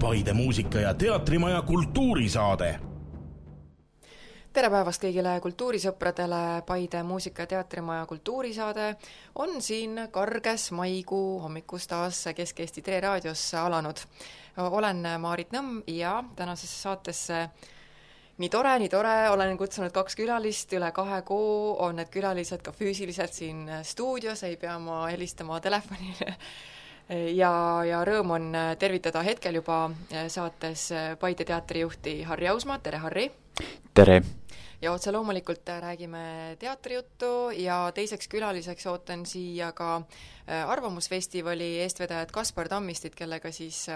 Paide muusika- ja teatrimaja kultuurisaade. Tere päevast kõigile kultuurisõpradele, Paide muusika- ja teatrimaja kultuurisaade on siin karges maikuu hommikus taas Kesk-Eesti Tre raadios alanud. Olen Maarit Nõmm ja tänasesse saatesse nii tore, olen kutsunud 2 külalist, üle 2 kuu on need külalised ka füüsiliselt siin stuudios, ei pea ma helistama telefonile. Ja rõõm on tervitada hetkel juba saates Paide teatrijuhti Harri Ausmaa. Tere, Harri! Tere! Ja otse loomulikult räägime teatrijuttu ja teiseks külaliseks ootan siia ka Arvamusfestivali eestvedajad Kaspar Tammistit, kellega siis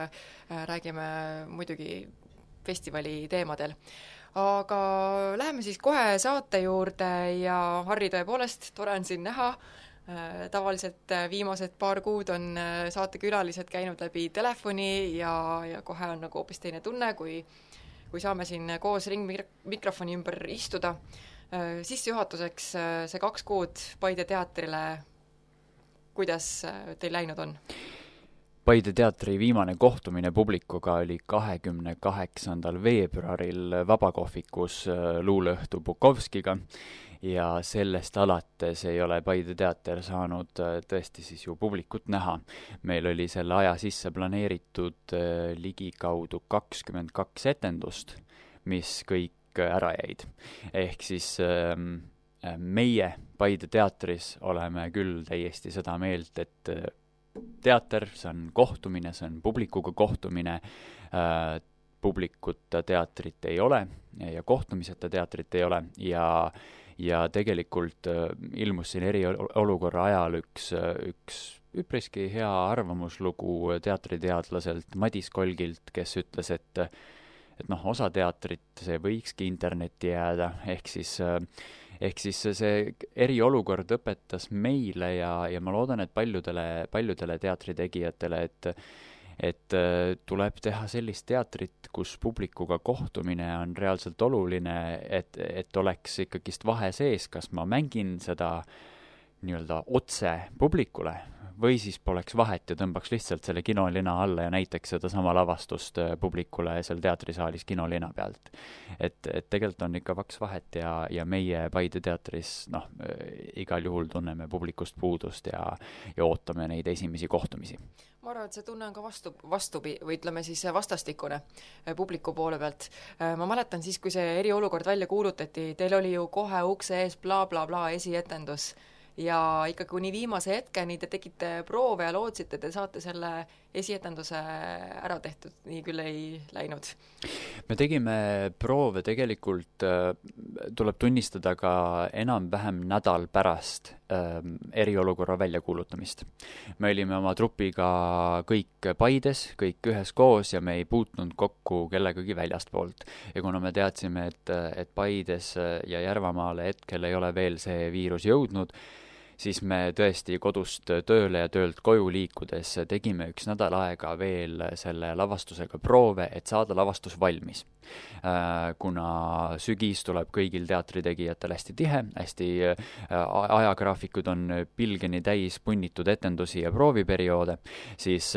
räägime muidugi festivali teemadel. Aga läheme siis kohe saate juurde ja Harri, tõepoolest, tore on siin näha. Tavaliselt viimased paar kuud on saatekülalised käinud läbi telefoni ja kohe on nagu hoopis teine tunne, kui saame siin koos ringmikrofoni ümber istuda. Sissejuhatuseks see 2 kuud Paide teatrile, kuidas teil läinud on? Paide teatri viimane kohtumine publikuga oli 28. veebruaril Vabakohvikus luuleõhtu Bukovskiga ja sellest alates ei ole Paide teater saanud tõesti siis ju publikut näha. Meil oli selle aja sisse planeeritud ligikaudu 22 etendust, mis kõik ära jäid. Ehk siis meie Paide teatris oleme küll täiesti seda meelt, et teater, see on kohtumine, see on publikuga kohtumine, publikuta teatrit ei ole ja kohtumiseta teatrit ei ole ja tegelikult ilmus siin eriolukorra ajal üks üpriski hea arvamuslugu teatriteadlaselt Madis Kolgilt, kes ütles, et osa teatrit, see võikski internetti jääda, ehk siis see eriolukord õpetas meile ja ma loodan, et paljudele teatritegijatele, et tuleb teha sellist teatrit, kus publikuga kohtumine on reaalselt oluline, et oleks ikkagist vahe sees, kas ma mängin seda nii-öelda otse publikule või siis poleks vahet ja tõmbaks lihtsalt selle kinolina alla ja näiteks seda sama lavastust publikule seal teatrisaalis kinolina pealt. Et tegelikult on ikka vaks vahet ja meie Paide teatris igal juhul tunneme publikust puudust ja ootame neid esimesi kohtumisi. Ma arvan, et see tunne on ka või ütleme siis vastastikune publiku poole pealt. Ma mäletan siis, kui see eriolukord välja kuulutati, teil oli ju kohe ukse ees bla bla bla esietendus ja ikka kuni viimase hetkeni te tegite proove ja lootsite, te saate selle esietenduse ära tehtud, nii küll ei läinud. Me tegime proove tegelikult, tuleb tunnistada ka enam-vähem nädal pärast eriolukorra väljakuulutamist. Me olime oma trupiga kõik Paides, kõik üheskoos ja me ei puutnud kokku kellegagi väljastpoolt. Ja kuna me teadsime, et Paides ja Järvamaale hetkel ei ole veel see viirus jõudnud, siis me tõesti kodust tööle ja töölt koju liikudes tegime 1 nädal aega veel selle lavastusega proove, et saada lavastus valmis. Kuna sügis tuleb kõigil teatritegijatel hästi tihe, hästi ajagraafikud on pilgeni täis punnitud etendusi ja prooviperioode, siis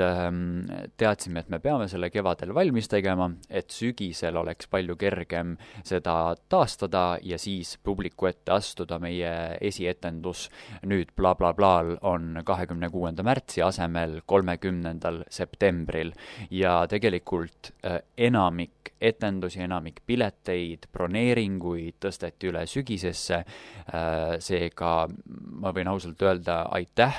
teadsime, et me peame selle kevadel valmis tegema, et sügisel oleks palju kergem seda taastada ja siis publiku ette astuda. Meie esietendus nüüd bla bla blaal on 26. märtsi asemel 30. septembril ja tegelikult enamik etendusi, enamik pileteid, broneeringuid tõsteti üle sügisesse, seega ma võin ausalt öelda aitäh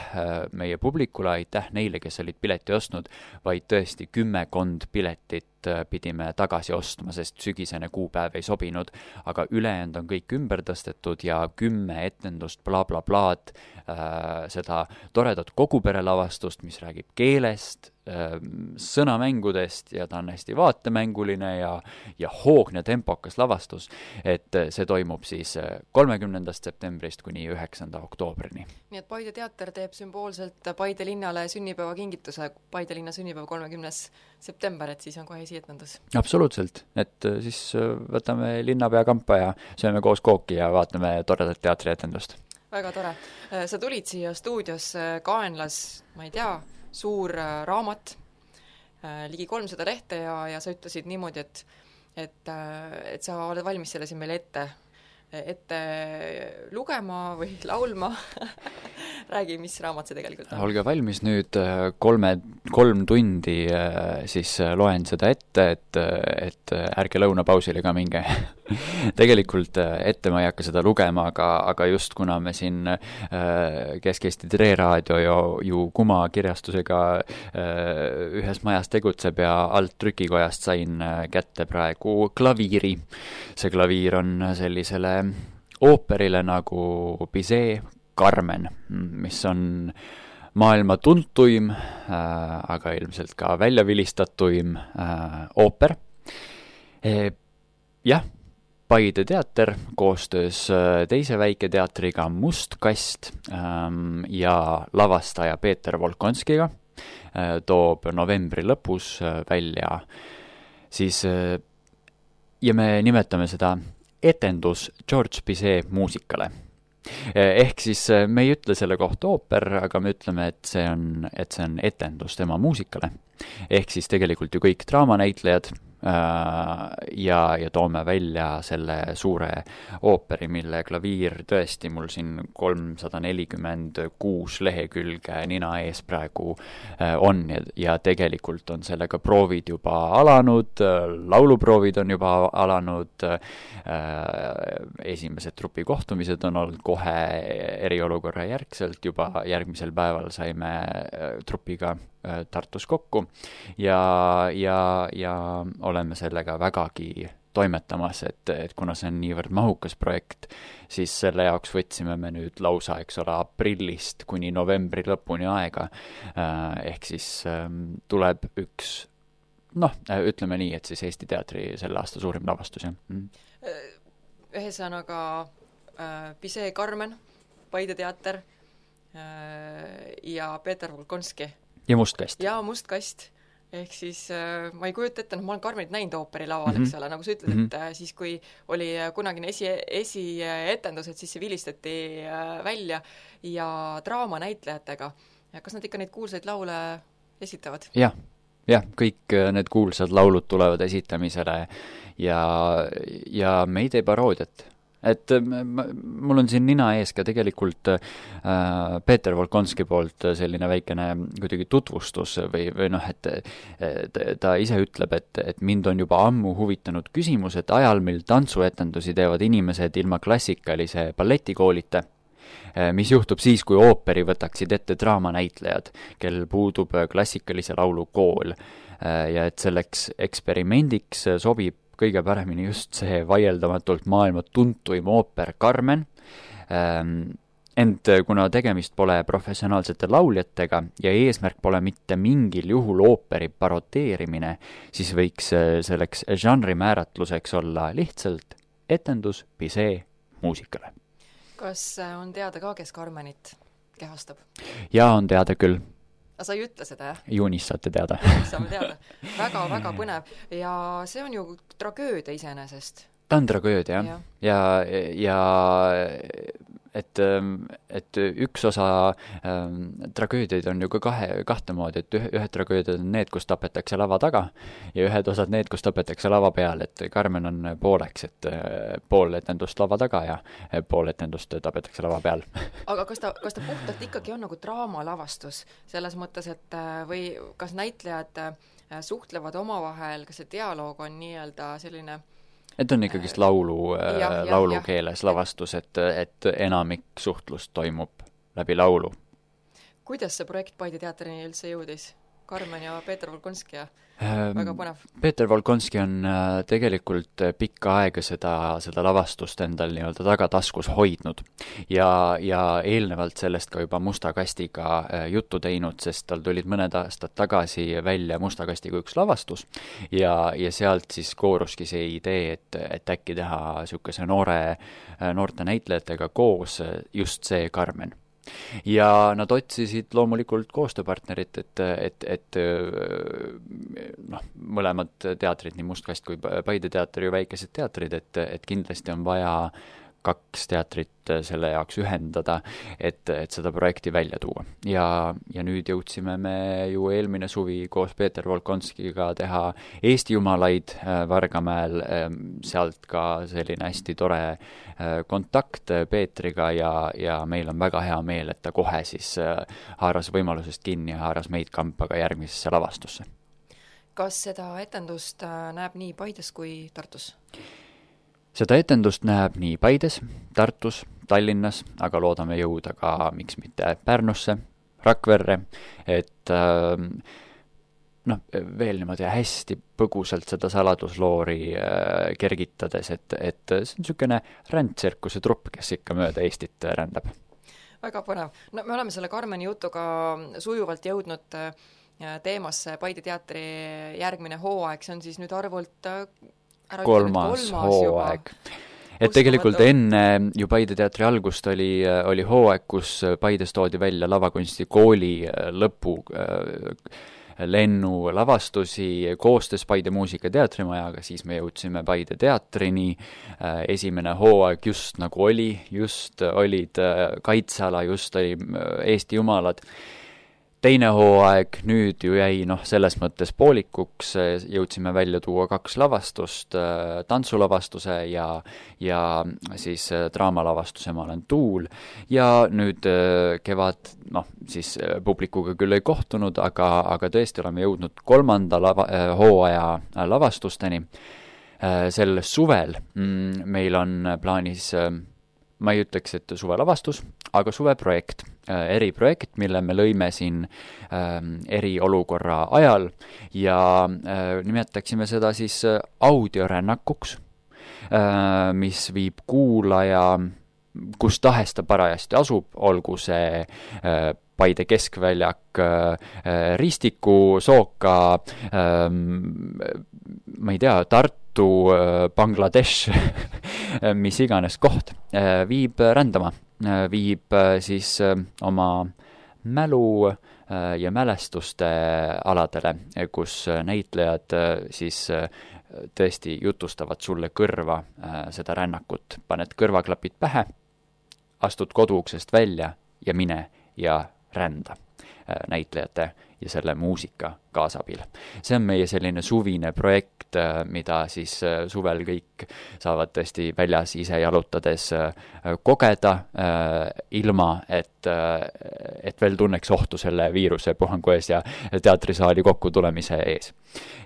meie publikule, aitäh neile, kes olid pileti ostnud, vaid tõesti 10 piletit pidime tagasi ostma, sest sügisene kuupäev ei sobinud, aga ülejäänud on kõik ümber tõstetud ja 10 etendust bla bla blaad, seda toredat koguperelavastust, mis räägib keelest, sõnamängudest ja ta on hästi vaatemänguline ja hoogne tempokas lavastus, et see toimub siis 30. septembrist kuni 9. oktoobrini. Nii et Paide teater teeb sümboolselt Paide linnale sünnipäeva kingituse, Paide linna sünnipäeva 30. september, et siis on kohe esietendus. Absoluutselt, et siis võtame linnapea kampa ja sööme koos kooki ja vaatame toredat teatrietendust. Väga tore. Sa tulid siia stuudios kaenlas, ma ei tea, suur raamat, ligi 300 lehte ja sa ütlesid niimoodi, et sa oled valmis selle siin meile ette lugema või laulma. Räägi, mis raamat see tegelikult on? Olge valmis nüüd 3 tundi siis loen seda ette, et ärge lõunapausile ka minge. Tegelikult ette ma ei hakka seda lugema, aga just kuna me siin Kesk-Eesti Tre Raadio ju Kuma kirjastusega ühes majas tegutseb ja alt trükikojast sain kätte praegu klaviiri. See klaviir on sellisele ooperile nagu Bizet Carmen, mis on maailma tuntuim, aga ilmselt ka väljavilistatuim ooper. Jah, Paide teater koostöös teise väiketeatriga Must kast ja lavastaja Peeter Volkonskiga toob novembri lõpus välja siis, ja me nimetame seda etendus George Bizet muusikale. Ehk siis me ei ütle selle kohta ooper, aga me ütleme, et see on etendus tema muusikale. Ehk siis tegelikult ju kõik draamanäitlejad ja toome välja selle suure ooperi, mille klaviir tõesti mul siin 346 lehekülge nina ees praegu on ja tegelikult on sellega proovid juba alanud, lauluproovid on juba alanud, esimesed trupikohtumised on olnud kohe eriolukorra järgselt, juba järgmisel päeval saime trupiga Tartus kokku ja oleme sellega vägagi toimetamas, et kuna see on niivõrd mahukas projekt, siis selle jaoks võtsime me nüüd lausa, eks ole, aprillist kuni novembri lõpuni aega. Ehk siis tuleb üks, ütleme nii, et siis Eesti teatri selle aasta suurim lavastus. Ühesõnaga Bizet Carmen, Paide teater ja Peeter Volkonski. Ja Must kast. Ja Must kast. Ehk siis ma ei kujuta ette, ma olen Carmenit näinud ooperi laval, eks ole, nagu sa ütled, et siis kui oli kunagine esietendus, et siis see vilistati välja ja draamanäitlejatega. Kas nad ikka neid kuulsaid laule esitavad? Jah, kõik need kuulsad laulud tulevad esitamisele ja me ei tee paroodiat. Et mul on siin nina ees ka tegelikult Peeter Volkonski poolt selline väikene kuidagi tutvustus või et ta ise ütleb, et mind on juba ammu huvitanud küsimus, et ajal, mil tantsuetendusi teevad inimesed ilma klassikalise balletikoolita, mis juhtub siis, kui ooperi võtaksid ette draamanäitlejad, kel puudub klassikalise laulu kool ja et selleks eksperimendiks sobib kõige paremini just see vaieldamatult maailma tuntuim ooper Carmen. Ent kuna tegemist pole professionaalsete lauljatega ja eesmärk pole mitte mingil juhul ooperi parodeerimine, siis võiks selleks žanri määratluseks olla lihtsalt etendus Bizet muusikale. Kas on teada ka, kes Carmenit kehastab? Jaa, on teada küll. Aga sa ei ütle seda, jah? Juunis saate teada. Saame teada. Väga põnev. Ja see on ju tragöödia iseenesest. Ta on tragöödia, ja et üks osa tragöödiaid on ju ka kahte moodi, et ühed tragöödiad on need, kus tapetakse lava taga ja ühed osad need, kus tapetakse lava peal, et Carmen on pooleks, et pool etendust lava taga ja pool etendust tapetakse lava peal. Aga kas ta puhtalt ikkagi on nagu draamalavastus selles mõttes, et või kas näitlejad suhtlevad omavahel, kas see dialoog on nii-öelda selline et on ikkagist laulu keeles lavastus, et enamik suhtlust toimub läbi laulu. Kuidas see projekt Paide teatrini üldse jõudis? Carmen ja Peeter Volkonski ja väga põnev. Peeter Volkonski on tegelikult pikka aega seda lavastust endal nii-öelda tagataskus hoidnud ja eelnevalt sellest ka juba Musta kastiga juttu teinud, sest tal tulid mõned aastad tagasi välja Musta kastiga üks lavastus ja sealt siis kooruski see idee, et äkki teha niisuguse noorte näitlejatega koos just see Carmen. Ja nad otsisid loomulikult koostööpartnerit, et mõlemad teatrid, nii Must kast kui Paide teater ju väikesed teatrid, et kindlasti on vaja kaks teatrit selle jaoks ühendada, et seda projekti välja tuua. Ja nüüd jõudsime me ju eelmine suvi koos Peeter Volkonskiga teha Eesti jumalaid Vargamäel, sealt ka selline hästi tore kontakt Peetriga ja meil on väga hea meel, et ta kohe siis haaras võimalusest kinni ja haaras meid kampaga järgmisesse lavastusse. Kas seda etendust näeb nii Paides kui Tartus? Seda etendust näeb nii Paides, Tartus, Tallinnas, aga loodame jõuda ka, miks mitte Pärnusse, Rakverre, et veel niimoodi hästi põgusalt seda saladusloori kergitades, et see on niisugune rändtsirkuse trupp, kes ikka mööda Eestit rändab. Väga põnev. No me oleme selle Karmeni jutuga sujuvalt jõudnud teemasse Paide teatri järgmine hooaeg, see on siis nüüd arvult kolmas hooaeg. Et tegelikult enne ju Paide teatri algust oli hooaeg, kus Paides toodi välja lavakunsti kooli lõpu lennu lavastusi koostöös Paide Muusika- teatrimajaga, siis me jõudsime Paide teatrini, esimene hooaeg just nagu just olid kaitseala, just oli Eesti jumalad. Teine hooaeg nüüd ju jäi selles mõttes poolikuks, jõudsime välja tuua 2 lavastust, tantsulavastuse ja siis draamalavastuse Ma olen tuul ja nüüd kevad, siis publikuga küll ei kohtunud, aga tõesti oleme jõudnud 3. hooaja lavastusteni. Sel suvel meil on plaanis, ma ei ütleks, et suvelavastus, aga suveprojekt, eriprojekt, mille me lõime siin eriolukorra ajal ja nimetaksime seda siis audiorännakuks, mis viib kuulaja, kus tahes ta parajasti asub, olgu see Paide keskväljak, Ristiku, Sooka, ma ei tea, Tartu, Bangladesh, mis iganes koht, viib rändama, viib siis oma mälu ja mälestuste aladele, kus näitlejad siis tõesti jutustavad sulle kõrva seda rännakut. Paned kõrvaklapid pähe, astud koduuksest välja ja mine ja rända näitlejate ja selle muusika kaasabil. See on meie selline suvine projekt, mida siis suvel kõik saavad tõesti väljas ise jalutades kogeda, ilma et veel tunneks ohtu selle viiruse puhangu ees ja teatrisaali kokkutulemise ees.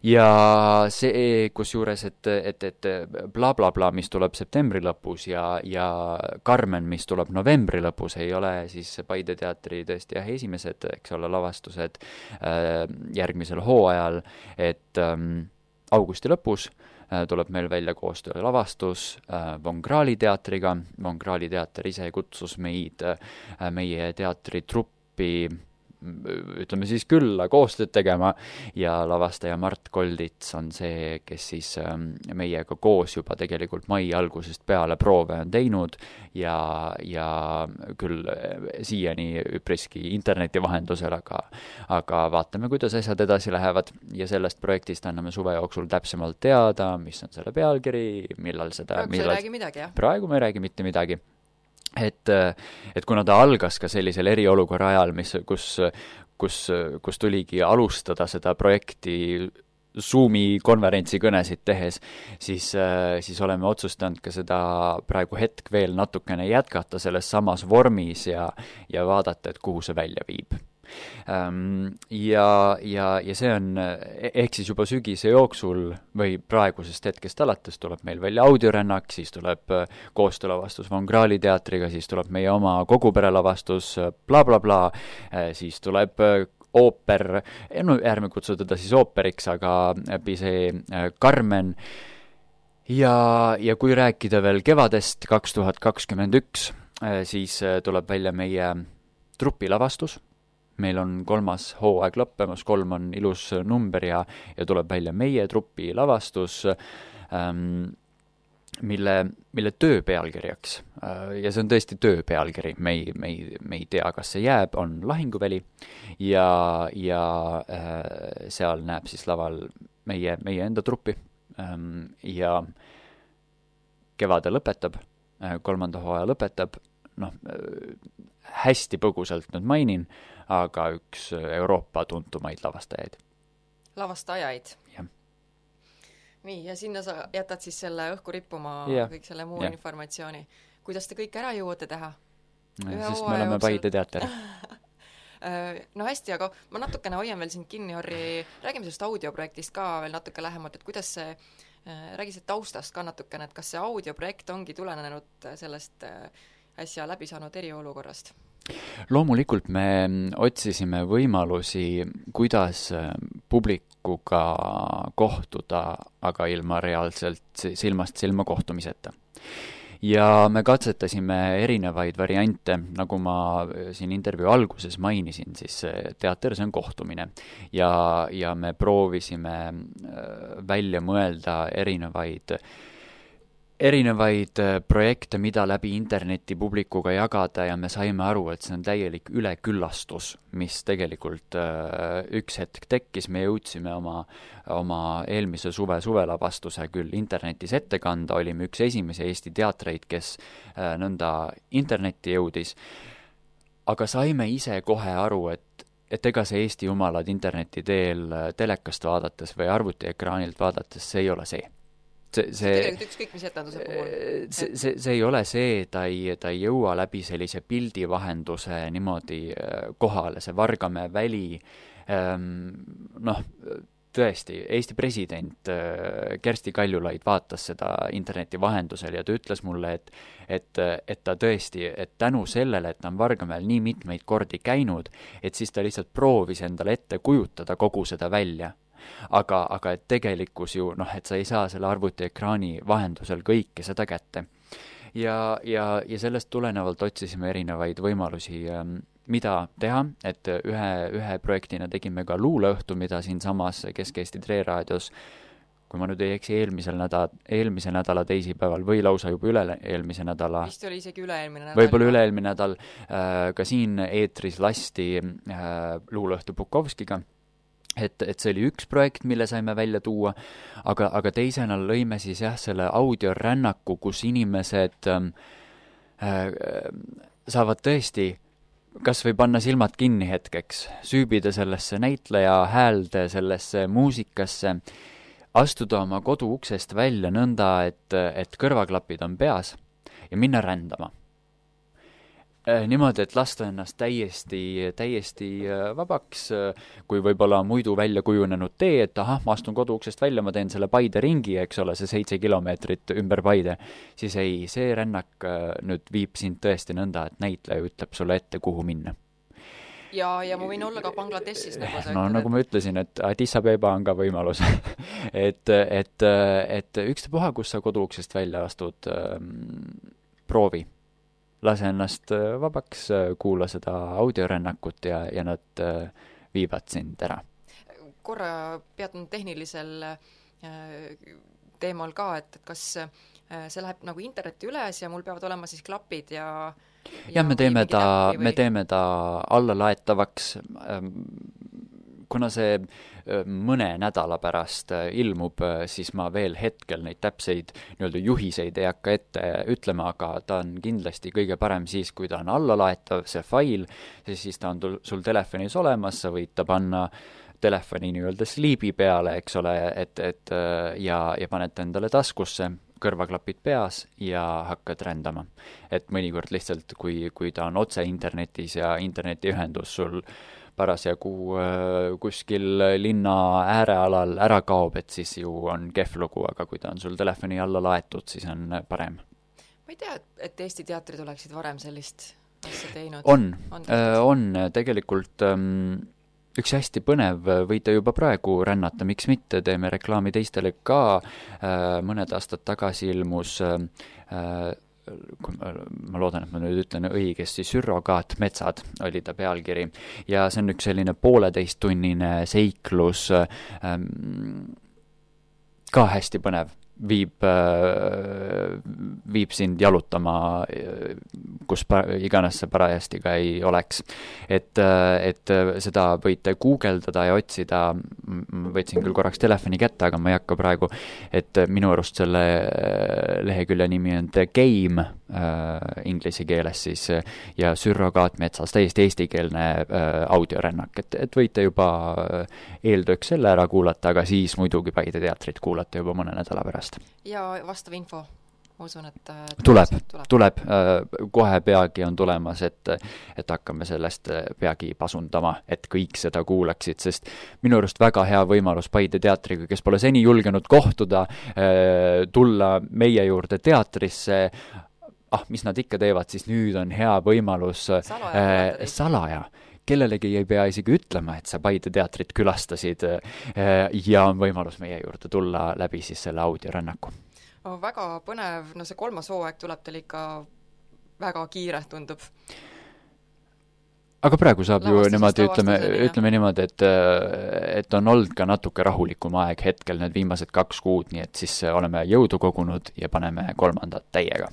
Ja see, kusjuures, et bla bla bla, mis tuleb septembri lõpus ja Carmen, mis tuleb novembri lõpus, ei ole siis Paide teatri tõesti esimesed, eks ole, lavastused järgmisel hooajal, et augusti lõpus tuleb meil välja koostöö lavastus Von Krahli teatriga. Von Krahli teater ise kutsus meid meie teatritruppi, ütleme siis külla koostööd tegema ja lavastaja Mart Koldits on see, kes siis meiega koos juba tegelikult mai algusest peale proove on teinud ja küll siiani üpriski interneti vahendusel, aga vaatame, kuidas asjad edasi lähevad ja sellest projektist anname suve jooksul täpsemalt teada, mis on selle pealkiri, millal seda... Praegu ei räägi midagi, jah? Praegu me ei räägi mitte midagi. Et kuna ta algas ka sellisel eriolukorra ajal, kus tuligi alustada seda projekti Zoomi konverentsi kõnesid tehes, siis oleme otsustanud ka seda praegu hetk veel natukene jätkata selles samas vormis ja vaadata, et kuhu see välja viib. Ja see on, ehk siis juba sügise jooksul või praegusest hetkest alates tuleb meil välja audiorännak, siis tuleb koostöölavastus Von Krahli teatriga, siis tuleb meie oma koguperelavastus bla bla bla, siis tuleb ooper, ärme kutsu teda siis ooperiks, aga see Carmen. Ja kui rääkida veel kevadest 2021, siis tuleb välja meie trupilavastus. Meil on 3. hooaeg lõppemas, 3 on ilus number ja tuleb välja meie trupi lavastus, mille töö pealkirjaks, ja see on tõesti töö pealkiri, me ei tea, kas see jääb, on Lahinguväli ja seal näeb siis laval meie enda truppi ja kevade lõpetab kolmanda hooaja lõpetab, noh, hästi põgusalt nüüd mainin, aga üks Euroopa tuntumaid lavastajaid. Lavastajaid? Jah. Nii, ja sinna sa jätad siis selle õhku rippuma kõik selle muu informatsiooni. Kuidas te kõik ära jõuate teha? Sest me oleme Paide teater. No hästi, aga ma natukene hoian veel sind kinni, Harri, räägime sellest audioprojektist ka veel natuke lähemalt, et kuidas see, räägi see taustast ka natukene, et kas see audioprojekt ongi tulenenud sellest äsja läbi saanud eriolukorrast? Loomulikult me otsisime võimalusi, kuidas publikuga kohtuda, aga ilma reaalselt silmast silma kohtumiseta. Ja me katsetasime erinevaid variante, nagu ma siin intervjuu alguses mainisin, siis teater, see on kohtumine. Ja me proovisime välja mõelda erinevaid projekte, mida läbi interneti publikuga jagada ja me saime aru, et see on täielik üleküllastus, mis tegelikult üks hetk tekkis. Me jõudsime oma eelmise suvelavastuse küll internetis ette kanda, olime üks esimese Eesti teatreid, kes nõnda internetti jõudis, aga saime ise kohe aru, et ega see Eesti jumalad interneti teel telekast vaadates või arvutiekraanilt vaadates, see ei ole see. Tegelikult ükskõik, mis etenduse puhul. See ei ole see, ta ei jõua läbi sellise pildivahenduse niimoodi kohale, see Vargamäe väli, tõesti, Eesti president Kersti Kaljulaid vaatas seda interneti vahendusel ja ta ütles mulle, et ta tõesti, et tänu sellele, et ta on Vargamäel nii mitmeid kordi käinud, et siis ta lihtsalt proovis endale ette kujutada kogu seda välja. Aga et tegelikkus ju, et sa ei saa selle arvutiekraani vahendusel kõike seda kätte. Ja sellest tulenevalt otsisime erinevaid võimalusi, mida teha, et ühe projektina tegime ka luuleõhtu, mida siin samas Kesk-Eesti Treraadios, kui ma nüüd ei eksi, eelmise nädala teisipäeval või lausa juba üle-eelmise nädala. Vist oli isegi üle-eelmine nädal. Võib-olla üle-eelmine nädal ka siin eetris lasti luuleõhtu Bukovskiga. Et see oli üks projekt, mille saime välja tuua, aga teisena lõime siis selle audiorännaku, kus inimesed saavad tõesti kas või panna silmad kinni hetkeks, süübida sellesse näitleja häälde, sellesse muusikasse, astuda oma kodu uksest välja nõnda, et kõrvaklapid on peas ja minna rändama. Niimoodi, et lasta ennast täiesti vabaks, kui võib-olla muidu välja kujunenud tee, et ma astun kodu uksest välja, ma teen selle Paide ringi, eks ole, see 7 kilomeetrit ümber Paide, siis ei, see rännak nüüd viib sind tõesti nõnda, et näitleja ütleb sulle ette, kuhu minna. Ja ma võin olla ka Bangladeshis, nagu sa ütled. Nagu ma ütlesin, et Addis Abeba on ka võimalus. et ükstapuha, kus sa kodu uksest välja astud, proovi. Lase ennast vabaks, kuula seda audiorännakut ja nad viivad sind ära. Korra peatun tehnilisel teemal ka, et kas see läheb nagu interneti üles ja mul peavad olema siis klapid ja me teeme ta allalaetavaks, kuna see mõne nädala pärast ilmub, siis ma veel hetkel neid täpseid nii-öelda juhiseid ei hakka ette ütlema, aga ta on kindlasti kõige parem siis, kui ta on allalaetav, see fail, siis ta on sul telefonis olemas, sa võid ta panna telefoni nii-öelda sliibi peale, eks ole, ja paned endale taskusse, kõrvaklapid peas ja hakkad rändama. Et mõnikord lihtsalt, kui ta on otse internetis ja internetiühendus sul parasjagu kuskil linna äärealal ära kaob, et siis ju on kehv lugu, aga kui ta on sul telefoni alla laetud, siis on parem. Ma ei tea, et Eesti teatrid oleksid varem sellist asja teinud. On tegelikult üks hästi põnev, võite juba praegu rännata, miks mitte, teeme reklaami teistele ka. Mõned aastad tagasi ilmus ma loodan, et ma nüüd ütlen õigesti, Surrogaatmetsad oli ta pealkiri ja see on üks selline 1,5-tunnine seiklus, ka hästi põnev, viib sind jalutama, kus iganes see parajasti ka ei oleks. Et seda võite guugeldada ja otsida, võtsin küll korraks telefoni kätte, aga ma ei hakka praegu, et minu arust selle lehekülje nimi on The Game, inglise keeles siis ja Sürrogaatmetsas täiesti eestikeelne audiorännak, et võite juba eeltööks selle ära kuulata, aga siis muidugi Paide teatrit kuulata juba mõne nädala pärast. Ja vastav info, ma usun, et tuleb. Kohe peagi on tulemas, et hakkame sellest peagi pasundama, et kõik seda kuulaksid, sest minu arust väga hea võimalus Paide teatriga, kes pole seni julgenud kohtuda, tulla meie juurde teatrisse, mis nad ikka teevad, siis nüüd on hea võimalus salaja. Kellelegi ei pea isegi ütlema, et sa Paide teatrit külastasid ja on võimalus meie juurde tulla läbi siis selle audiorännaku. Väga põnev, see 3. hooaeg tuleb teil ikka väga kiire, tundub. Aga praegu saab ju niimoodi, ütleme niimoodi, et on olnud ka natuke rahulikum aeg hetkel need viimased 2 kuud, nii et siis oleme jõudu kogunud ja paneme 3. täiega.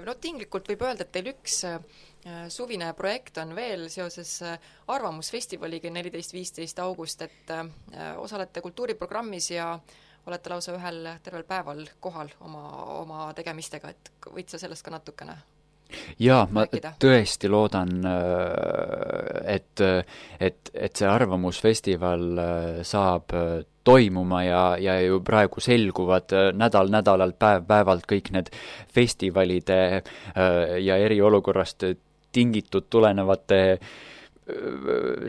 No tinglikult võib öelda, et teil üks suvine projekt on veel seoses Arvamusfestivaliga 14-15 august, et osalete kultuuriprogrammis ja olete lausa ühel tervel päeval kohal oma tegemistega, et võid sa sellest ka natukene jaa, ma tõesti loodan, et see Arvamusfestival saab toimuma ja ju praegu selguvad nädalalt päevalt kõik need festivalide ja eriolukorrast tingitud tulenevate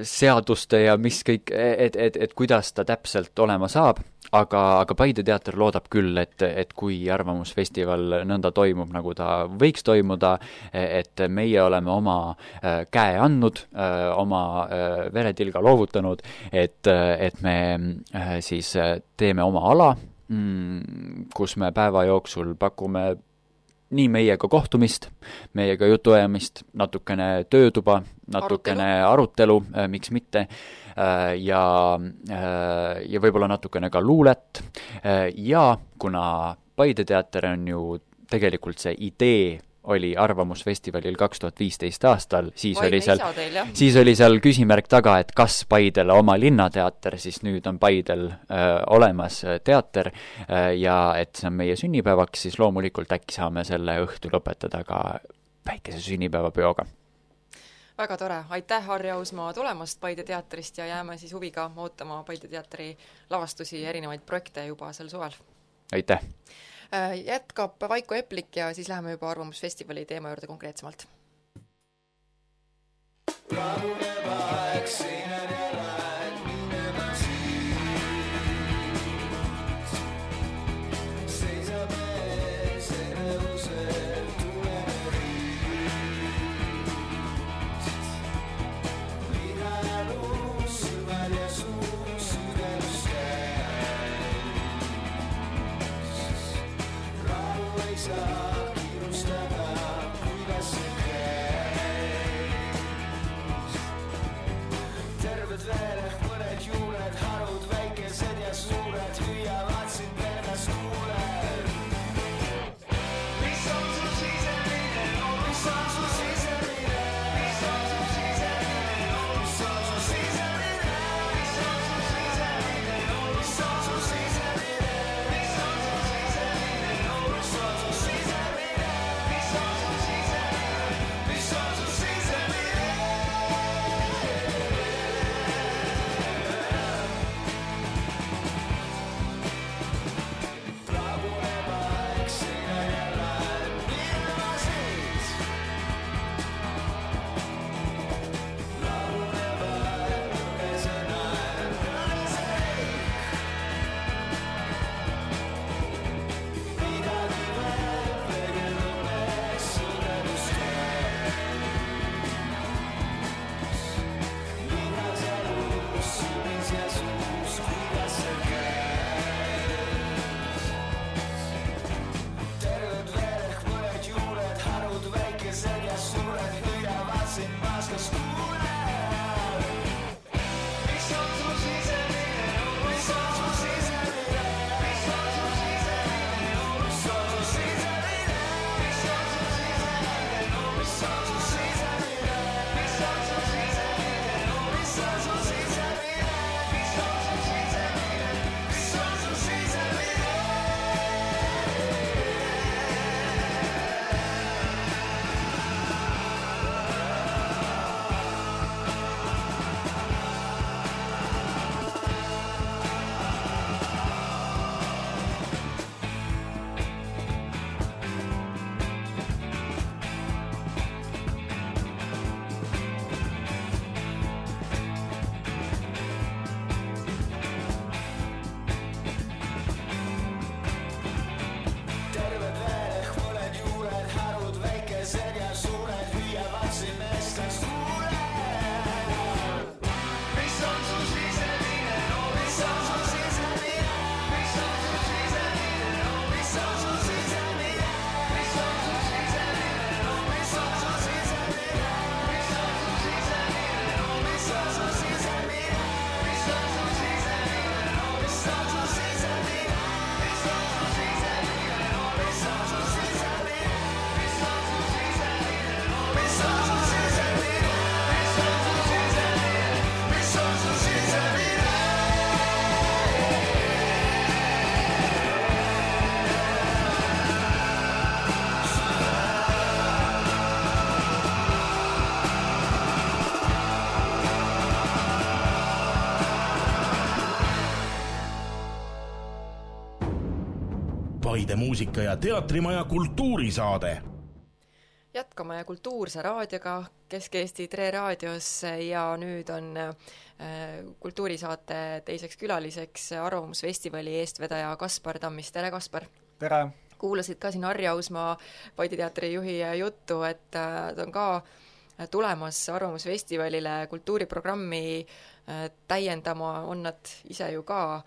seaduste ja mis kõik, et kuidas ta täpselt olema saab, aga Paide teater loodab küll, et kui Arvamusfestival nõnda toimub, nagu ta võiks toimuda, et meie oleme oma käe andnud, oma veretilga loovutanud, et me siis teeme oma ala, kus me päeva jooksul pakume nii meiega kohtumist, meiega jutuajamist, natukene töötuba, natukene arutelu, miks mitte, ja võib-olla natukene ka luulet. Ja kuna Paide teater on ju tegelikult see idee oli Arvamusfestivalil 2015 aastal, siis oli seal küsimärk taga, et kas Paidele oma linnateater, siis nüüd on Paidel olemas teater ja et see on meie sünnipäevaks, siis loomulikult äkki saame selle õhtu lõpetada ka väikese sünnipäevapeoga. Väga tore, aitäh Harri Ausmaa tulemast Paide teatrist ja jääme siis huviga ootama Paide teatri lavastusi ja erinevaid projekte juba sel suvel. Aitäh! Jätkab Vaiko Eplik ja siis läheme juba Arvamusfestivali teema juurde konkreetsemalt. Paide muusika- ja teatrimaja kultuurisaade. Jätkame kultuurse raadioga Kesk-Eesti Tre raadios ja nüüd on kultuurisaate teiseks külaliseks Arvamusfestivali eestvedaja Kaspar Tammis. Tere, Kaspar! Tere! Kuulasid ka siin Harri Ausmaa Paide teatri juhi juttu, et ta on ka tulemas Arvamusfestivalile kultuuriprogrammi täiendama, on nad ise ju ka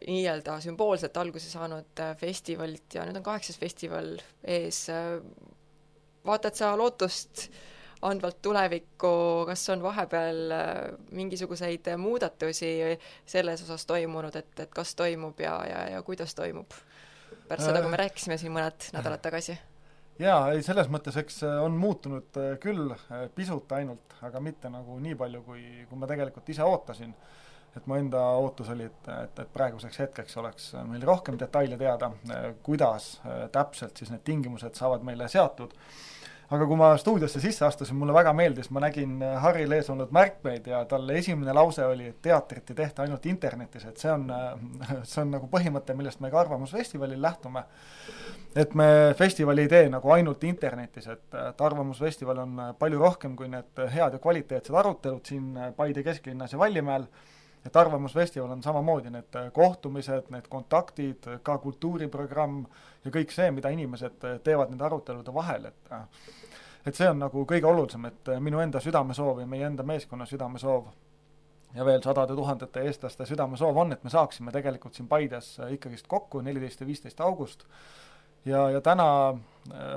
nii-öelda sümboolselt alguse saanud festivalilt ja nüüd on 8. festival ees. Vaatad sa lootust andvalt tulevikku, kas on vahepeal mingisuguseid muudatusi selles osas toimunud, et kas toimub ja kuidas toimub? Pärast seda, kui me rääkisime siin mõned nädalad tagasi. Jaa, ei, selles mõttes, eks on muutunud küll pisut ainult, aga mitte nagu nii palju, kui ma tegelikult ise ootasin. Et mu enda ootus oli, et praeguseks hetkeks oleks meil rohkem detaile teada, kuidas täpselt siis need tingimused saavad meile seatud. Aga kui ma stuudiosse sisse astusin, mulle väga meeldis, ma nägin Harril ees olnud märkmeid ja talle esimene lause oli, et teatrit ei tehta ainult internetis, et see on nagu põhimõte, millest me ka Arvamusfestivalil lähtume. Et me festivali ei tee nagu ainult internetis, et Arvamusfestival on palju rohkem kui need head ja kvaliteetsed arutelud siin Paide kesklinnas ja Vallimäel, et Arvamusfestival on samamoodi need kohtumised, need kontaktid, ka kultuuriprogramm ja kõik see, mida inimesed teevad nende arutelude vahel, et see on nagu kõige olulisem, et minu enda südamesoov ja meie enda meeskonna südamesoov ja veel 100 000 eestlaste südamesoov on, et me saaksime tegelikult siin Paides ikkagist kokku 14. ja 15. august ja täna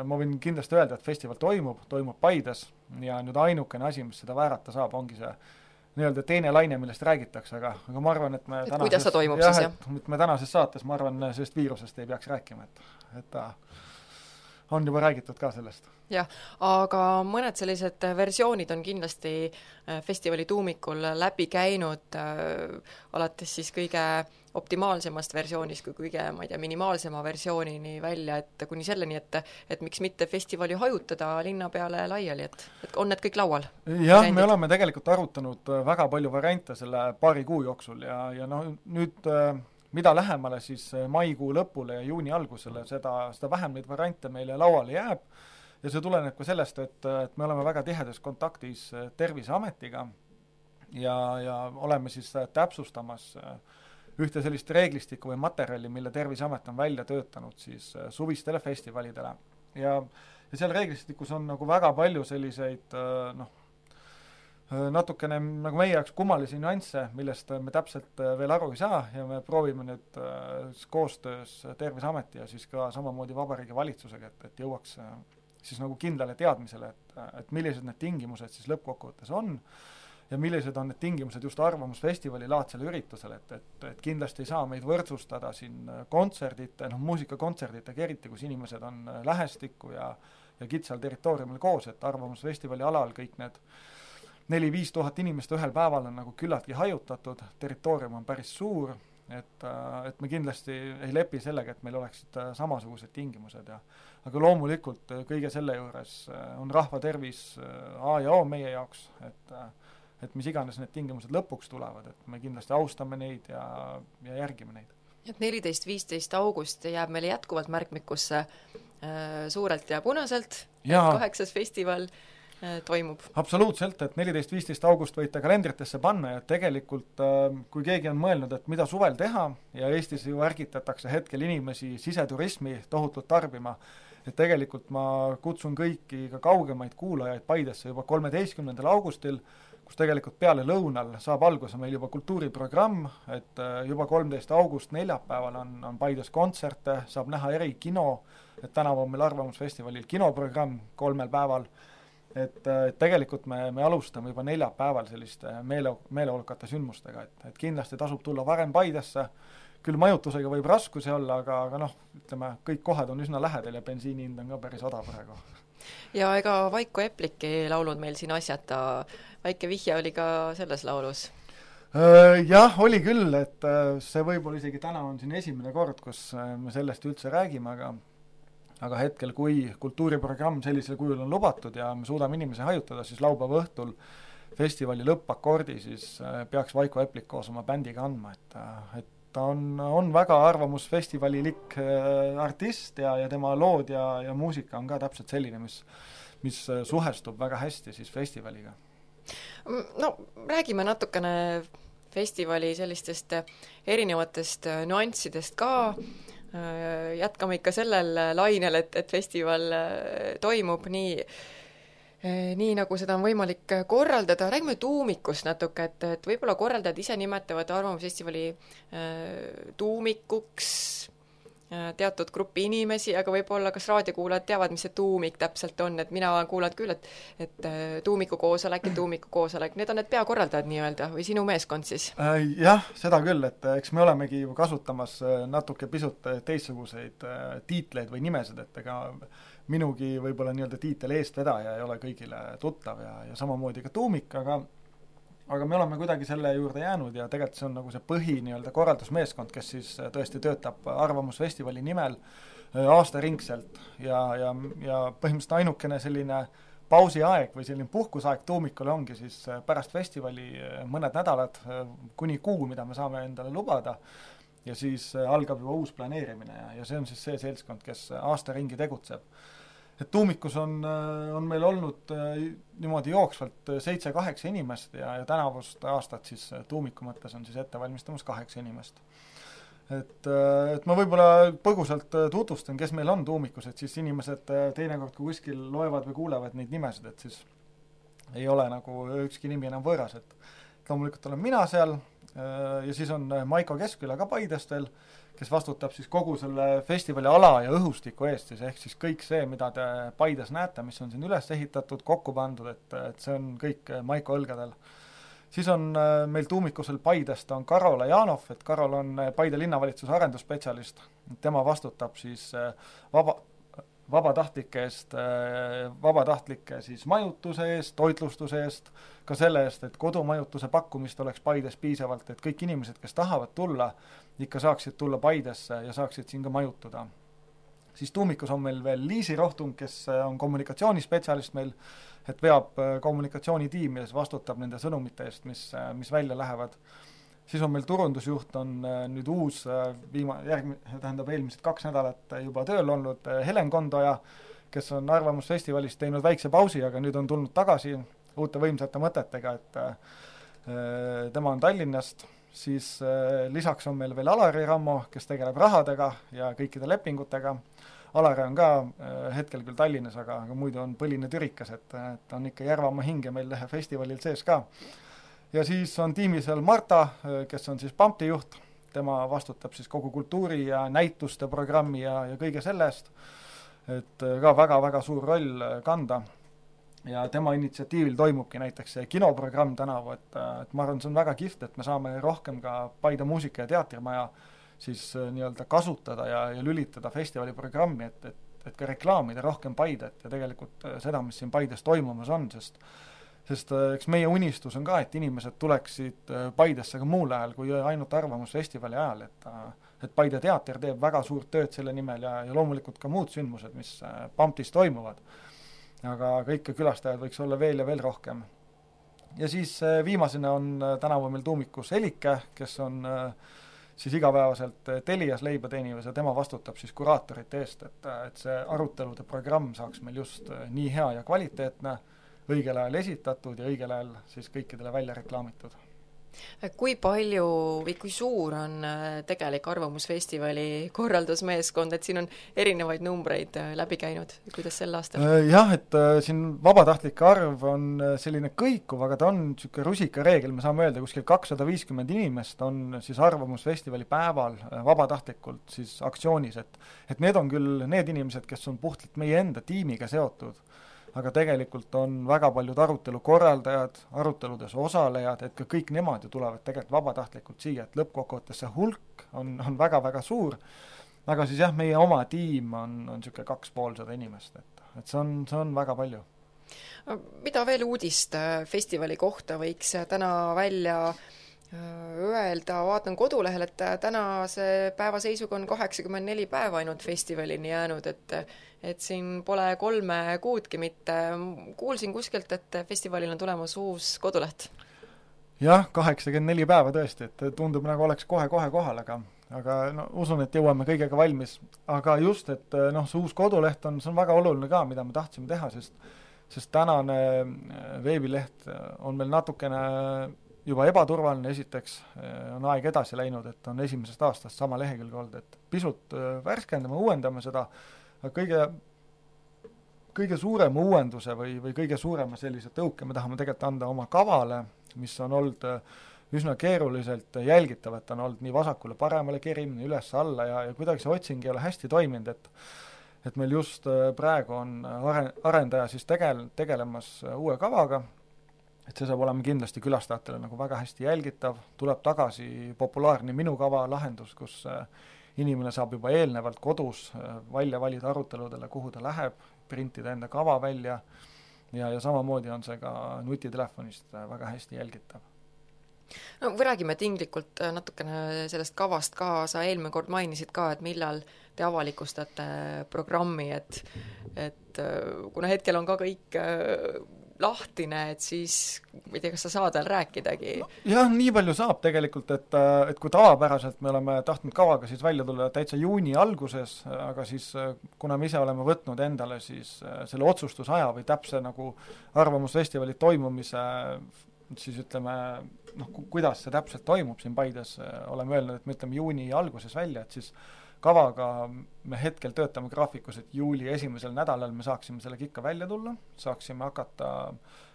ma võin kindlasti öelda, et festival toimub Paides ja nüüd ainukene asi, mis seda väärata saab, ongi see nii-öelda teine laine, millest räägitakse, aga ma arvan, et me kuidas see toimub siis, jah? Et me tänases saates, ma arvan, sellest viirusest ei peaks rääkima, et on juba räägitud ka sellest. Jah, aga mõned sellised versioonid on kindlasti festivali tuumikul läbi käinud, alates siis kõige optimaalsemast versioonist kui kõige, ma ei tea, minimaalsema versioonini välja, et kuni selleni, et miks mitte festivali hajutada linna peale laiali, et on need kõik laual? Jah, me oleme tegelikult arutanud väga palju variante selle paari kuu jooksul ja nüüd mida lähemale siis maikuu lõpule ja juuni algusele, seda vähem neid variante meile lauale jääb ja see tuleneb ka sellest, et me oleme väga tihedas kontaktis Terviseametiga ja oleme siis täpsustamas ühte sellist reeglistikku või materjali, mille Terviseamet on välja töötanud siis suvistele festivalidele. Ja seal reeglistikus on nagu väga palju selliseid natukene nagu meie jaoks kummalisi nüansse, millest me täpselt veel aru ei saa ja me proovime nüüd koostöös Terviseameti ja siis ka samamoodi Vabariigi Valitsusega, et jõuaks siis nagu kindlale teadmisele, et millised need tingimused siis lõppkokkuvõttes on ja millised on need tingimused just Arvamusfestivali laadsele üritusele, et kindlasti ei saa meid võrdsustada siin kontserdite, muusikakontserditega eriti, kus inimesed on lähestikku ja kitsal territooriumil koos, et Arvamusfestivali alal kõik need 4-5 tuhat inimest ühel päeval on nagu küllaltki hajutatud, territoorium on päris suur, et me kindlasti ei lepi sellega, et meil oleksid samasugused tingimused aga loomulikult kõige selle juures on rahva tervis A ja O meie jaoks, et mis iganes need tingimused lõpuks tulevad, et me kindlasti austame neid ja järgime neid. Et 14-15 august jääb meile jätkuvalt märkmikusse suurelt ja punaselt, 8. festival toimub. Absoluutselt, et 14-15 august võite kalendritesse panna ja tegelikult kui keegi on mõelnud, et mida suvel teha ja Eestis ju ärgitatakse hetkel inimesi siseturismi tohutult tarbima, et tegelikult ma kutsun kõiki ka kaugemaid kuulajaid Paidesse juba 13. augustil, kus tegelikult peale lõunal saab alguse meil juba kultuuriprogramm, et juba 13. august neljapäeval on Paides kontserte, saab näha erikino, et tänavu on meil Arvamusfestivalil kinoprogramm 3 päeval, et tegelikult me alustame juba neljapäeval selliste meeleolukate sündmustega, et kindlasti tasub tulla varem Paidesse, küll majutusega võib raskusi olla, aga ütleme, kõik kohad on üsna lähedal ja bensiinihind on ka päris odav praegu. Ja ega Vaiko Eplik ei laulnud meil siin asjata, väike vihje oli ka selles laulus? Jah, oli küll, et see võib-olla isegi täna on siin esimene kord, kus me sellest üldse räägime, aga hetkel, kui kultuuriprogramm sellisel kujul on lubatud ja me suudame inimesi hajutada, siis laupäeva õhtul festivali lõppakordi siis peaks Vaiko Eplik koos oma bändiga andma, et ta on väga arvamusfestivalilik artist ja tema lood ja muusika on ka täpselt selline, mis suhestub väga hästi siis festivaliga. No räägime natukene festivali sellistest erinevatest nüanssidest ka, jätkame ikka sellel lainel, et festival toimub nii nagu seda on võimalik korraldada. Räägime tuumikust natuke, et võib-olla korraldajad ise nimetavad Arvamusfestivali tuumikuks teatud grupi inimesi, aga võib-olla kas raadiokuulajad teavad, mis see tuumik täpselt on, et mina kuulan küll, et tuumikukoosolek, need on need peakorraldajad nii-öelda või sinu meeskond siis? Jah, seda küll, et eks me olemegi ju kasutamas natuke pisut teistsuguseid tiitleid või nimesid, et ega minugi võib-olla nii-öelda tiitel eestvedaja ei ole kõigile tuttav ja samamoodi ka tuumik, aga me oleme kuidagi selle juurde jäänud ja tegelikult see on nagu see põhi nii-öelda korraldusmeeskond, kes siis tõesti töötab Arvamusfestivali nimel aastaringselt ja põhimõtteliselt ainukene selline pausiaeg või selline puhkusaeg tuumikule ongi siis pärast festivali mõned nädalad kuni kuu, mida me saame endale lubada ja siis algab juba uus planeerimine ja see on siis see seltskond, kes aasta ringi tegutseb. Et tuumikus on meil olnud niimoodi jooksvalt 7-8 inimest ja tänavust aastat siis tuumiku mõttes on siis ette valmistamas 8 inimest. Et ma võib-olla põgusalt tutvustan, kes meil on tuumikus, et siis inimesed teinekord, kui kuskil loevad või kuulevad neid nimesid, et siis ei ole nagu ükski nimi enam võõras, et loomulikult olen mina seal ja siis on Maiko Keskküla ka Paidest veel, kes vastutab siis kogu selle festivali ala ja õhustiku eest, siis ehk siis kõik see, mida te Paides näete, mis on siin üles ehitatud, kokku pandud, et see on kõik Maiko õlgadel. Siis on meil tuumikusel Paidest on Karol Janov, et Karol on Paide linnavalitsuse arendusspetsialist, tema vastutab siis vabatahtlike siis majutuse eest, toitlustuse eest, ka selle eest, et kodumajutuse pakkumist oleks Paides piisavalt, et kõik inimesed, kes tahavad tulla, ikka saaksid tulla Paidesse ja saaksid siin ka majutuda. Siis tuumikus on meil veel Liisi Rohtung, kes on kommunikatsioonispetsialist meil, et veab kommunikatsioonitiimi ja vastutab nende sõnumite eest, mis välja lähevad. Siis on meil turundusjuht, on nüüd uus, eelmised 2 nädalat juba tööl olnud Helen Kondoja, kes on Arvamusfestivalist teinud väikse pausi, aga nüüd on tulnud tagasi uute võimsate mõtetega, et tema on Tallinnast. Siis lisaks on meil veel Alari Rammo, kes tegeleb rahadega ja kõikide lepingutega. Alari on ka hetkel küll Tallinnas, aga muidu on põline türikas, et on ikka Järvamaa hinge meil festivalil sees ka. Ja siis on tiimi seal Marta, kes on siis Pampti juht, tema vastutab siis kogu kultuuri ja näituste programmi ja kõige sellest, et ka väga-väga suur roll kanda. Ja tema initsiatiivil toimubki näiteks see kinoprogramm tänavu, et ma arvan, see on väga kihvt, et me saame rohkem ka Paide muusika- ja teatrimaja siis nii-öelda kasutada ja lülitada festivali programmi, et ka reklaamida rohkem Paidet ja tegelikult seda, mis siin Paides toimumas on, sest eks meie unistus on ka, et inimesed tuleksid Paidesse ka muul ajal kui ainult Arvamusfestivali ajal, et Paide teater teeb väga suurt tööd selle nimel ja loomulikult ka muud sündmused, mis Pamptis toimuvad. Aga kõike külastajad võiks olla veel ja veel rohkem. Ja siis viimasena on tänavu meil tuumikus Elike, kes on siis igapäevaselt Telias leiba teenimas ja tema vastutab siis kuraatorite eest, et see arutelude programm saaks meil just nii hea ja kvaliteetne, õigel ajal esitatud ja õigel ajal siis kõikidele välja reklaamitud. Kui palju või kui suur on tegelik Arvamusfestivali korraldusmeeskond, et siin on erinevaid numbreid läbi käinud, kuidas sel aastal? Jah, et siin vabatahtlike arv on selline kõikuv, aga ta on niisugune rusikareegel, me saame öelda, kuskil 250 inimest on siis Arvamusfestivali päeval vabatahtlikult siis aktsioonis, et need on küll need inimesed, kes on puhtalt meie enda tiimiga seotud, aga tegelikult on väga paljud arutelu korraldajad, aruteludes osalejad, et ka kõik nemad ju tulevad tegelikult vabatahtlikult siia, et lõppkokkuvõttes see hulk on väga-väga suur, aga siis jah, meie oma tiim on niisugune 250 inimest, et see on väga palju. Mida veel uudist festivali kohta võiks täna välja öelda, vaatan kodulehel, et tänase päeva seisuga on 84 päeva ainult festivalini jäänud, et siin pole 3 kuudki mitte. Kuulsin kuskilt, et festivalil on tulemas uus koduleht. jah, 84 päeva tõesti, et tundub nagu oleks kohe-kohe kohal, aga no usun, et jõuame kõigega valmis. Aga just, et noh, see uus koduleht see on väga oluline ka, mida me tahtsime teha, sest tänane veebileht on meil natukene juba ebaturvaline, esiteks on aeg edasi läinud, et on 1. aastast sama lehekülg olnud, et pisut värskendame, uuendame seda, aga kõige suurema uuenduse või kõige suurema sellise tõuke me tahame tegelikult anda oma kavale, mis on olnud üsna keeruliselt jälgitav, et on olnud nii vasakule paremale kerimine, üles alla ja kuidagi see otsing ei ole hästi toiminud, et meil just praegu on arendaja siis tegelemas uue kavaga, et see saab olema kindlasti külastajatele nagu väga hästi jälgitav, tuleb tagasi populaarne Minu kava lahendus, kus inimene saab juba eelnevalt kodus välja valida aruteludele, kuhu ta läheb, printida enda kava välja ja samamoodi on see ka nutitelefonist väga hästi jälgitav. No või räägime tinglikult natukene sellest kavast ka, sa eelmine kord mainisid ka, et millal te avalikustate programmi, et kuna hetkel on ka kõik lahtine, et siis ma ei tea, kas sa saad veel rääkidagi? No, jah, nii palju saab tegelikult, et kui tavapäraselt me oleme tahtnud kavaga siis välja tulla täitsa juuni alguses, aga siis kuna me ise oleme võtnud endale siis selle otsustusaja või täpse nagu arvamusfestivali toimumise, siis ütleme, noh, kuidas see täpselt toimub siin Paides, oleme öelnud, et me ütleme juuni alguses välja, et siis kavaga me hetkel töötame graafikus, et juuli 1. nädalal me saaksime sellega ikka välja tulla, saaksime hakata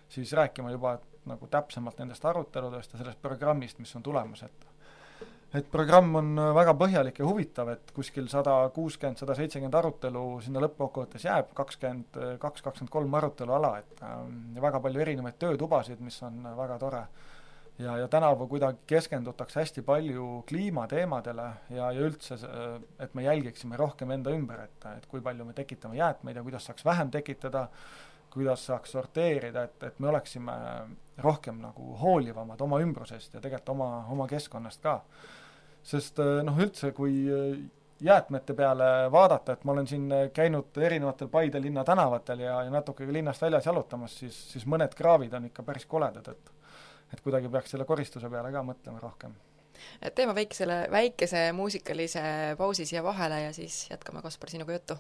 siis rääkima juba nagu täpsemalt nendest aruteludest ja sellest programmist, mis on tulemas, et programm on väga põhjalik ja huvitav, et kuskil 160-170 arutelu sinna lõppkokkuvõttes jääb, 22-23 arutelu ala, et väga palju erinevaid töötubasid, mis on väga tore. Ja tänavu kuidagi keskendutakse hästi palju kliimateemadele ja üldse, et me jälgiksime rohkem enda ümber, et kui palju me tekitame jäätmeid ja kuidas saaks vähem tekitada, kuidas saaks sorteerida, et me oleksime rohkem nagu hoolivamad oma ümbrusest ja tegelikult oma keskkonnast ka. Sest noh, üldse kui jäätmete peale vaadata, et ma olen siin käinud erinevatel Paide linna tänavatel ja natuke linnast väljas jalutamas, siis mõned kraavid on ikka päris koledad, et kuidagi peaks selle koristuse peale ka mõtlema rohkem. Teeme väikese muusikalise pausi siia vahele ja siis jätkame, Kaspar, sinuga juttu.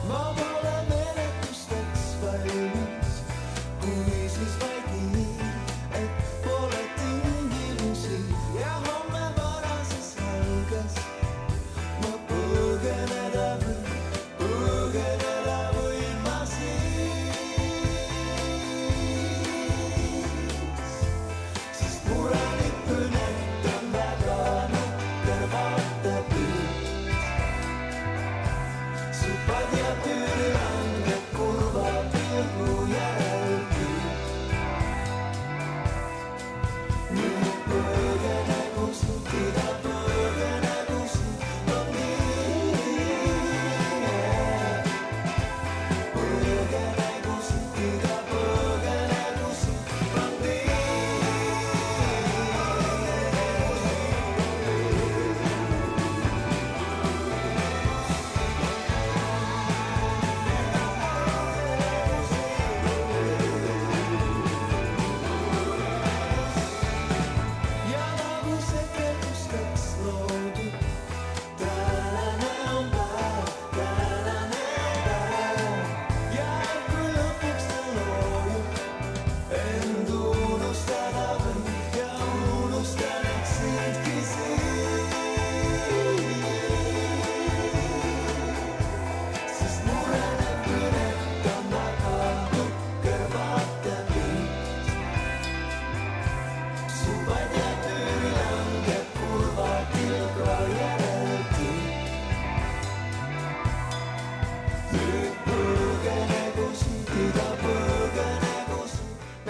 Ma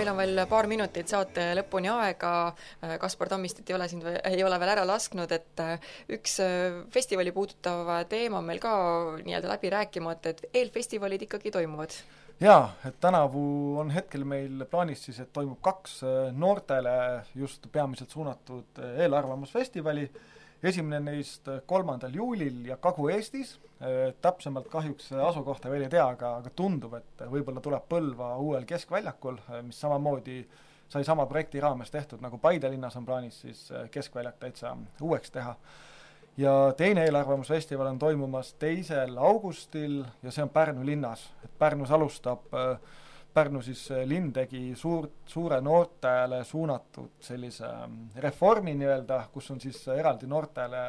meil on veel paar minutit saate lõpuni aega, Kaspar Tammistit ei ole veel ära lasknud, et üks festivali puudutav teema on meil ka nii-öelda läbi rääkimata, et eelfestivalid ikkagi toimuvad. Jaa, et tänavu on hetkel meil plaanis siis, et toimub 2 noortele just peamiselt suunatud eelarvamusfestivali. Esimene neist 3. juulil ja Kagu-Eestis, täpsemalt kahjuks asukohta veel ei tea, aga tundub, et võib-olla tuleb Põlva uuel keskväljakul, mis samamoodi sai sama projekti raames tehtud, nagu Paide linnas on plaanis siis keskväljak täitsa uueks teha. Ja teine eelarvamusfestival on toimumas 2. augustil ja see on Pärnu linnas. Pärnus alustab Pärnu siis linn tegi suure noortele suunatud sellise reformi nii-öelda, kus on siis eraldi noortele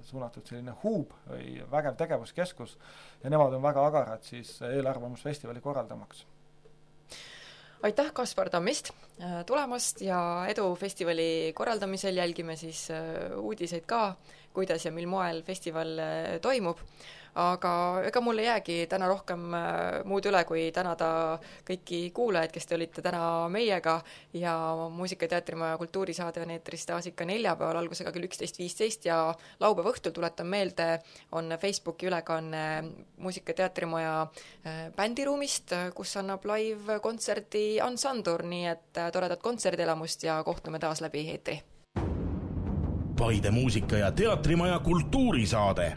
suunatud selline huub või vägev tegevuskeskus ja nemad on väga agarad siis eelarvamusfestivali korraldamaks. Aitäh, Kaspar Tammist tulemast ja edu festivali korraldamisel, jälgime siis uudiseid ka, kuidas ja mil moel festival toimub. Aga ega mul ei jäägi täna rohkem muud üle, kui tänada kõiki kuulajaid, kes te olite täna meiega ja Muusika- ja Teatrimaja kultuurisaade on eetris taas ikka neljapäeval algusega kell 11.15 ja laupäeva õhtul, tuletan meelde, on Facebooki ülekanne Muusika- ja Teatrimaja bändiruumist, kus annab live-kontserdi Ansandur, nii et toredat kontserdielamust ja kohtume taas läbi eetri. Paide Muusika- ja Teatrimaja kultuurisaade